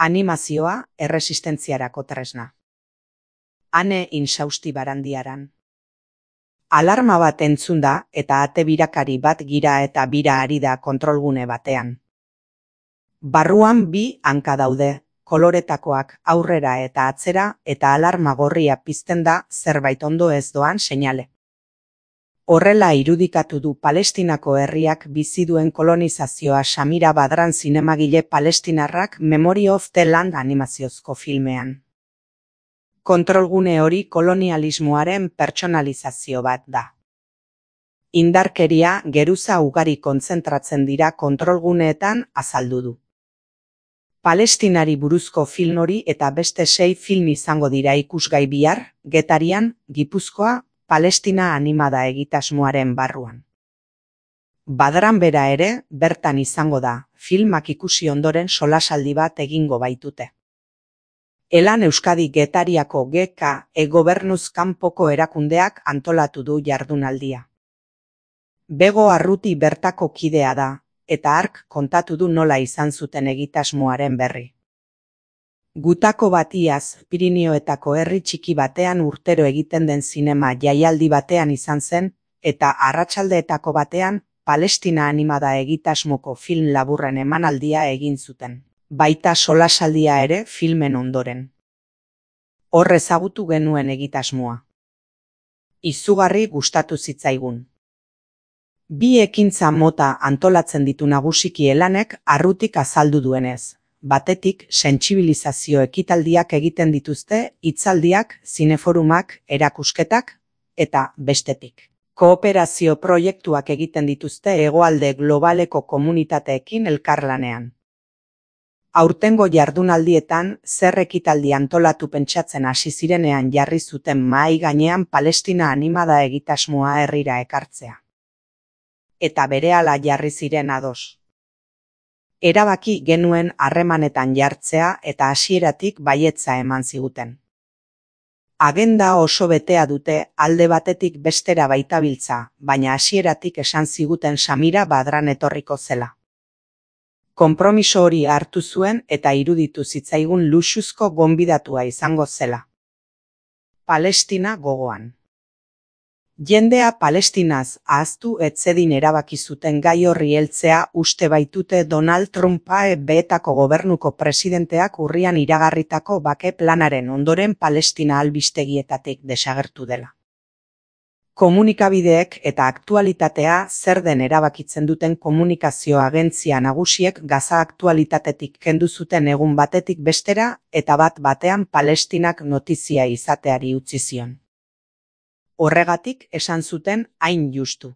Animazioa erresistentziarako tresna. Ane insausti barandiaran. Alarma bat entzun da eta ate birakari bat gira eta bira ari da kontrolgune batean. Barruan bi hanka daude, koloretakoak aurrera eta atzera eta alarma gorria pizten da zerbait ondo ez doan seinale. Horrela irudikatu du Palestinako herriak bizi duen kolonizazioa Samira Badran zinemagile palestinarrak Memory of the Land animaziozko filmean. Kontrolgune hori kolonialismoaren pertsonalizazio bat da. Indarkeria geruza ugari kontzentratzen dira kontrolguneetan azaldu du. Palestinari buruzko film hori eta beste 6 film izango dira ikusgai bihar, Getarian, Gipuzkoa, Palestina animada egitasmoaren barruan. Badran bera ere, bertan izango da, filmak ikusi ondoren solasaldi bat egingo baitute. Elan Euskadi Getariako GK gobernuz kanpoko erakundeak antolatu du jardunaldia. Bego Arruti bertako kidea da, eta hark kontatu du nola izan zuten egitasmoaren berri. Gutako batiaz, Pirinioetako herri txiki batean urtero egiten den zinema jaialdi batean izan zen, eta arratsaldeetako batean, Palestina animada egitasmoko film laburren emanaldia egin zuten. Baita solasaldia ere filmen ondoren. Hor ezagutu genuen egitasmoa. Izugarri gustatu zitzaigun. Bi ekintza mota antolatzen ditu nagusiki Elanek Arrutik azaldu duenez. Batetik, sentsibilizazio ekitaldiak egiten dituzte, hitzaldiak, zineforumak, erakusketak, eta bestetik. Kooperazio proiektuak egiten dituzte hegoalde globaleko komunitateekin elkarlanean. Aurtengo jardunaldietan zer ekitaldi antolatu pentsatzen hasi zirenean jarri zuten mahai gainean Palestina animada egitasmoa herrira ekartzea. Eta berehala jarri ziren ados. Erabaki genuen harremanetan jartzea eta hasieratik baietza eman ziguten. Agenda oso betea dute alde batetik bestera baitabiltza, baina hasieratik esan ziguten Samira Badran etorriko zela. Konpromiso hori hartu zuen eta iruditu zitzaigun luxuzko gonbidatua izango zela. Palestina gogoan. Jendea Palestinaz ahaztu etzedin erabaki zuten gai horri heltzea uste baitute Donald Trumpa beetako gobernuko presidenteak urrian iragarritako bake planaren ondoren Palestina albistegietatik desagertu dela. Komunikabideek eta aktualitatea zer den erabakitzen duten komunikazio agentzia nagusiek Gaza aktualitatetik kendu zuten egun batetik bestera eta bat batean Palestinak notizia izateari utzi zion. Horregatik esan zuten hain justu.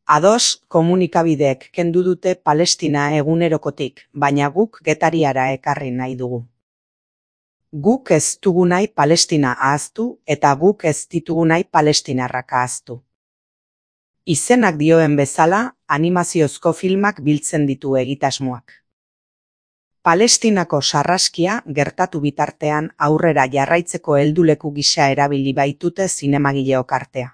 Ados, komunikabideek kendu dute Palestina egunerokotik, baina guk Getariara ekarri nahi dugu. Guk ez dugu nahi Palestina ahaztu eta guk ez ditugu nahi palestinarrak ahaztu. Izenak dioen bezala, animaziozko filmak biltzen ditu egitasmoak. Palestinako sarraskia gertatu bitartean aurrera jarraitzeko helduleku gisa erabili baitute zinemagileok artea.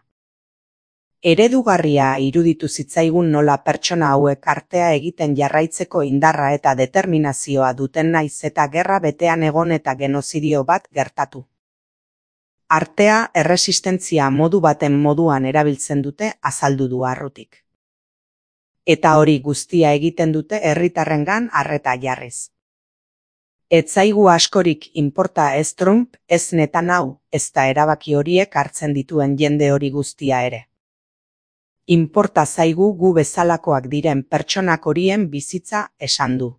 Eredugarria iruditu zitzaigun nola pertsona hauek artea egiten jarraitzeko indarra eta determinazioa duten naiz eta gerra betean egon eta genozidio bat gertatu. Artea erresistentzia modu baten moduan erabiltzen dute azaldu du Arrutik. Eta hori guztia egiten dute herritarrengan arreta jarriz. Ez zaigu askorik inporta ez Trump, ez Netanyahu, ezta erabaki horiek hartzen dituen jende hori guztia ere. Inporta zaigu gu bezalakoak diren pertsonak horien bizitza esan du.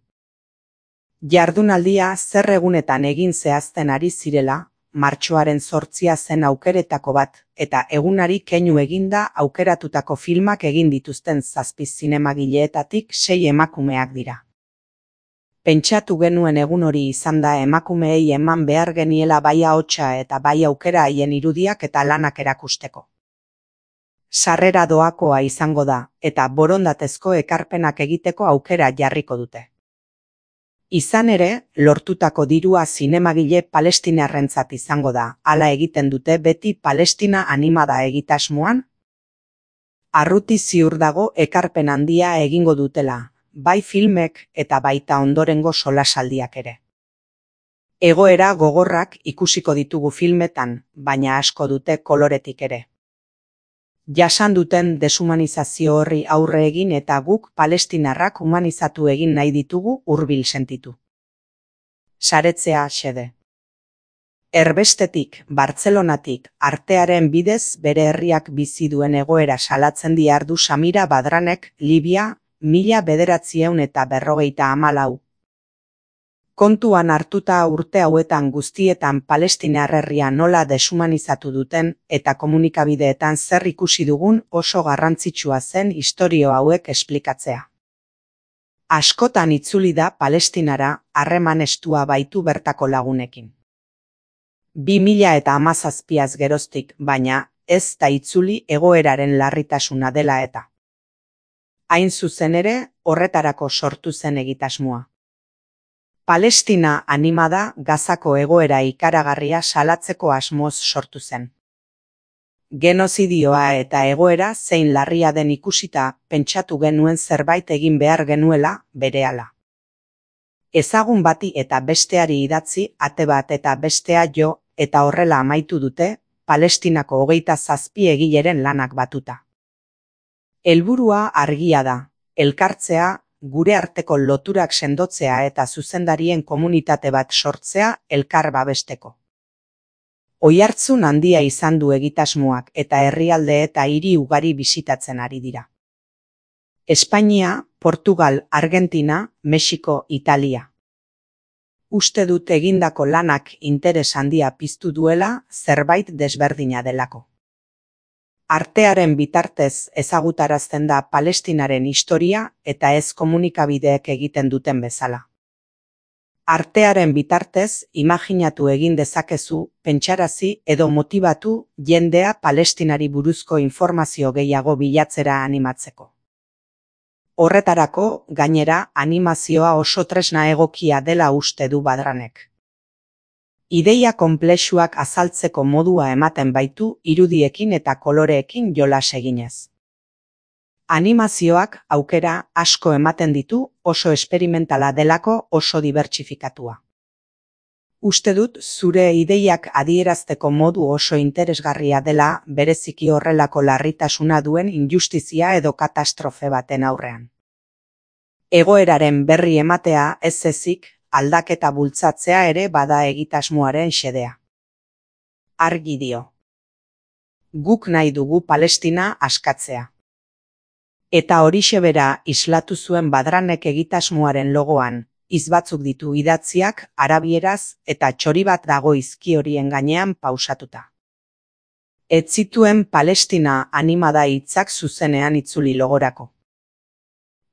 Jardunaldia zer egunetan egin zehazten ari zirela, martxoaren 8 zen aukeretako bat, eta egunari keinu eginda aukeratutako filmak egin dituzten 7 zinemagileetatik 6 emakumeak dira. Pentsatu genuen egun hori izan da emakumeei eman behar geniela bai ahotsa eta bai aukera haien irudiak eta lanak erakusteko. Sarrera doakoa izango da, eta borondatezko ekarpenak egiteko aukera jarriko dute. Izan ere, lortutako dirua zinemagile palestinarrentzat izango da, hala egiten dute beti Palestina animada egitasmoan. Arruti ziur dago ekarpen handia egingo dutela, bai filmek eta baita ondorengo solasaldiak ere. Egoera gogorrak ikusiko ditugu filmetan, baina asko dute koloretik ere. Jasan duten deshumanizazio horri aurre egin eta guk palestinarrak humanizatu egin nahi ditugu hurbil sentitu. Saretzea xede. Erbestetik, Bartzelonatik, artearen bidez bere herriak bizi duen egoera salatzen diardu Samira Badranek, Libia, 1954. Kontuan hartuta urte hauetan guztietan Palestinar herria nola deshumanizatu duten eta komunikabideetan zer ikusi dugun oso garrantzitsua zen istorio hauek esplikatzea. Askotan itzuli da Palestinara harreman estua baitu bertako lagunekin. 2017 geroztik, baina ez da itzuli egoeraren larritasuna dela eta. Hain zuzen ere, horretarako sortu zen egitasmoa. Palestina animada Gazako egoera ikaragarria salatzeko asmoz sortu zen. Genozidioa eta egoera zein larria den ikusita pentsatu genuen zerbait egin behar genuela berehala. Ezagun bati eta besteari idatzi, ate bat eta bestea jo, eta horrela amaitu dute, Palestinako 27 egileren lanak batuta. Helburua argia da, elkartzea, gure arteko loturak sendotzea eta zuzendarien komunitate bat sortzea elkar babesteko. Oihartzun handia izan du egitasmoak eta herrialde eta hiri ugari bisitatzen ari dira. Espainia, Portugal, Argentina, Mexiko, Italia. Uste dut egindako lanak interes handia piztu duela zerbait desberdina delako. Artearen bitartez ezagutarazten da Palestinaren historia eta ez komunikabideek egiten duten bezala. Artearen bitartez imaginatu egin dezakezu, pentsarazi edo motibatu jendea Palestinari buruzko informazio gehiago bilatzera animatzeko. Horretarako, gainera, animazioa oso tresna egokia dela uste du Badranek. Ideia konplexuak azaltzeko modua ematen baitu irudiekin eta koloreekin jolas eginez. Animazioak aukera asko ematen ditu oso esperimentala delako oso dibertsifikatua. Uste dut zure ideiak adierazteko modu oso interesgarria dela bereziki horrelako larritasuna duen injustizia edo katastrofe baten aurrean. Egoeraren berri ematea ez ezik, aldaketa bultzatzea ere bada egitasmoaren xedea. Argi dio. Guk nahi dugu Palestina askatzea. Eta horixe bera islatu zuen Badranek egitasmoaren logoan, hitz batzuk ditu idatziak arabieraz eta txori bat dago izki horien gainean pausatuta. Ez zituen Palestina animada hitzak zuzenean itzuli logorako.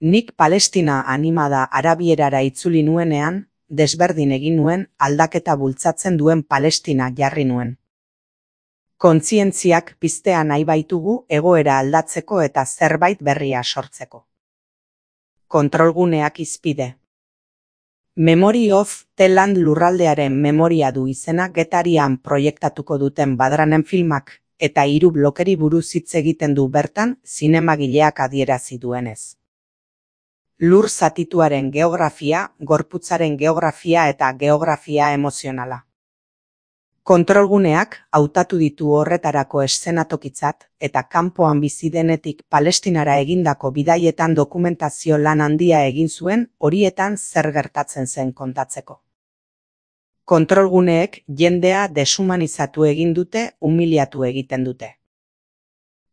Nik Palestina animada arabierara itzuli nuenean, desberdin egin nuen aldaketa bultzatzen duen Palestina jarri nuen. Kontzientziak piztea nahi baitugu egoera aldatzeko eta zerbait berria sortzeko. Kontrolguneak hizpide. Memory of the Land lurraldearen memoria du izena Getarian proiektatuko duten Badranen filmak eta 3 blokeri buruz hitz egiten du bertan zinemagileak adierazi duenez. Lur zatituaren geografia, gorputzaren geografia eta geografia emozionala. Kontrolguneak hautatu ditu horretarako eszenatokitzat eta kanpoan bizi denetik Palestinara egindako bidaietan dokumentazio lan handia egin zuen horietan zer gertatzen zen kontatzeko. Kontrolguneek jendea deshumanizatu egin dute, humiliatu egiten dute.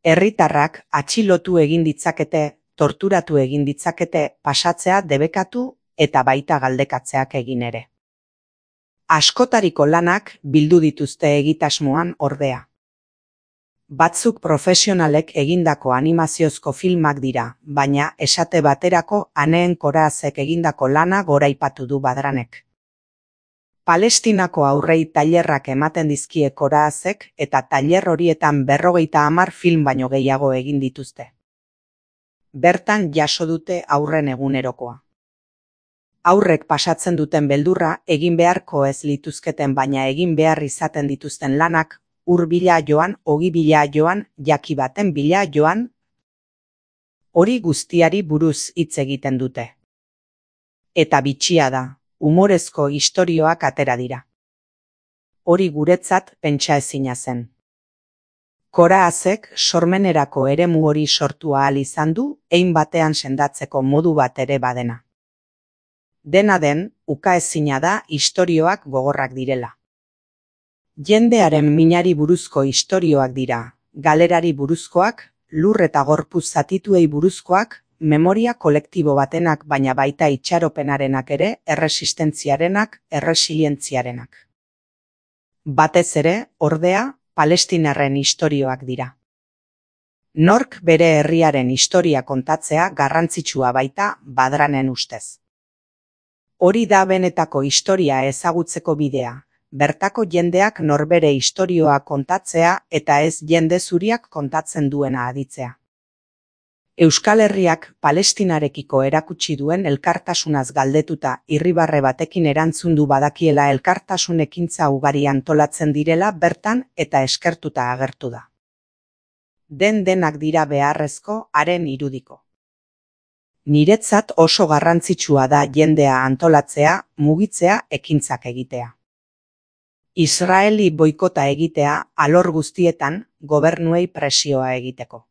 Herritarrak atxilotu egin ditzakete, torturatu egin ditzakete, pasatzea debekatu eta baita galdekatzeak egin ere. Askotariko lanak bildu dituzte egitasmoan ordea. Batzuk profesionalek egindako animaziozko filmak dira, baina esate baterako Aneen Korazek egindako lana goraipatu du Badranek. Palestinako aurrei tailerrak ematen dizkie Korazek eta tailer horietan 50 film baino gehiago egin dituzte. Bertan jaso dute aurren egunerokoa. Aurrek pasatzen duten beldurra egin beharko ez lituzketen baina egin behar izaten dituzten lanak, ur bila joan, ogi bila joan, jaki baten bila joan, hori guztiari buruz hitz egiten dute. Eta bitxia da, umorezko istorioak atera dira. hori guretzat pentsaezina zen. Koraazek sormenerako eremu hori sortu ahal izan du, hein batean sendatzeko modu bat ere badena. Dena den, ukaezina da istorioak gogorrak direla. Jendearen minari buruzko istorioak dira, galerari buruzkoak, lur eta gorpuz zatituei buruzkoak, memoria kolektibo batenak baina baita itxaropenarenak ere, erresistentziarenak, erresilientziarenak. Batez ere, ordea, palestinarren istorioak dira. Nork bere herriaren historia kontatzea garrantzitsua baita Badranen ustez. Hori da benetako historia ezagutzeko bidea, bertako jendeak norbere istorioa kontatzea eta ez jende zuriak kontatzen duena aditzea. Euskal Herriak Palestinarekiko erakutsi duen elkartasunaz galdetuta irribarre batekin erantzun du badakiela elkartasun ekintza ugari antolatzen direla bertan eta eskertuta agertu da. Denak dira beharrezko haren irudiko. Niretzat oso garrantzitsua da jendea antolatzea, mugitzea, ekintzak egitea. Israeli boikota egitea alor guztietan gobernuei presioa egiteko.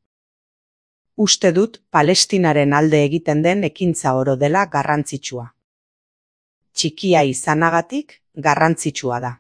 Uste dut Palestinaren alde egiten den ekintza oro dela garrantzitsua. Txikia izanagatik garrantzitsua da.